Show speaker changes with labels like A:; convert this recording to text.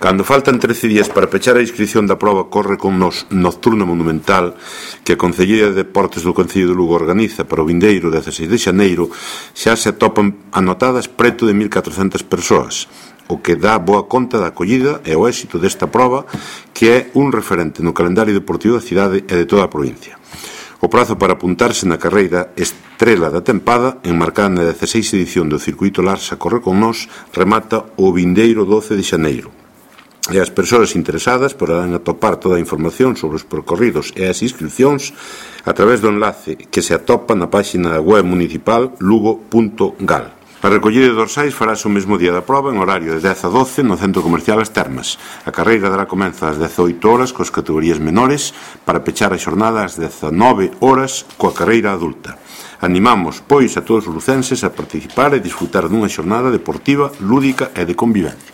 A: Cando faltan 13 días para pechar a inscrición da proba corre con nos Nocturna Monumental que a Concellería de Deportes do Concello de Lugo organiza para o vindeiro 16 de xaneiro, xa se atopan anotadas preto de 1.400 persoas, o que dá boa conta da acollida e o éxito desta proba, que é un referente no calendario deportivo da cidade e de toda a provincia. O prazo para apuntarse na carreira Estrela da Tempada, enmarcada na 16 edición do Circuito Larsa Corre con Nós, remata o vindeiro 12 de xaneiro. E as persoas interesadas poderán atopar toda a información sobre os percorridos e as inscripcións a través do enlace que se atopa na página web municipal lugo.gal. A recollida de dorsais farase o mesmo día da proba en horario de 10 a 12 no Centro Comercial As Termas. A carreira dará comezo ás 18 horas coas categorías menores para pechar a xornada ás 19 horas coa carreira adulta. Animamos, pois, a todos os lucenses a participar e disfrutar dunha xornada deportiva, lúdica e de convivencia.